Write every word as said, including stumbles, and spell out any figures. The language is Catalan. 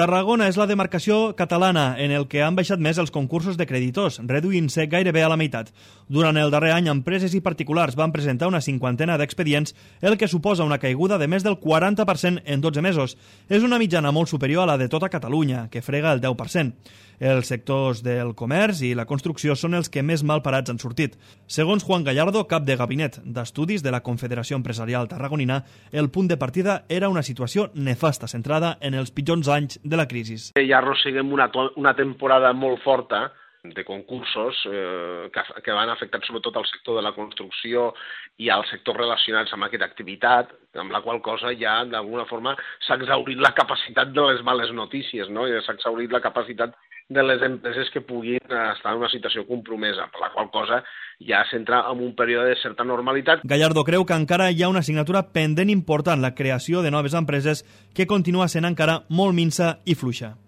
Tarragona és la demarcació catalana en el que han baixat més els concursos de creditors, reduint-se gairebé a la meitat. Durant el darrer any, empreses i particulars van presentar una cinquantena d'expedients, el que suposa una caiguda de més del quaranta per cent en dotze mesos. És una mitjana molt superior a la de tota Catalunya, que frega el deu per cent. Els sectors del comerç i la construcció són els que més mal parats han sortit. Segons Juan Gallardo, cap de gabinet d'estudis de la Confederació Empresarial Tarragonina, el punt de partida era una situació nefasta, centrada en els pitjors anys de la crisi. Ja arrosseguem una, una temporada molt forta de concursos eh, que, que van afectar sobretot al sector de la construcció i als sectors relacionats amb aquesta activitat, amb la qual cosa ja d'alguna forma s'ha exhaurit la capacitat de les males notícies, no? S'ha exhaurit la capacitat de les empreses que puguin estar en una situació compromesa, per la qual cosa ja s'entra en un període de certa normalitat. Gallardo creu que encara hi ha una assignatura pendent important, la creació de noves empreses, que continua sent encara molt minsa i fluixa.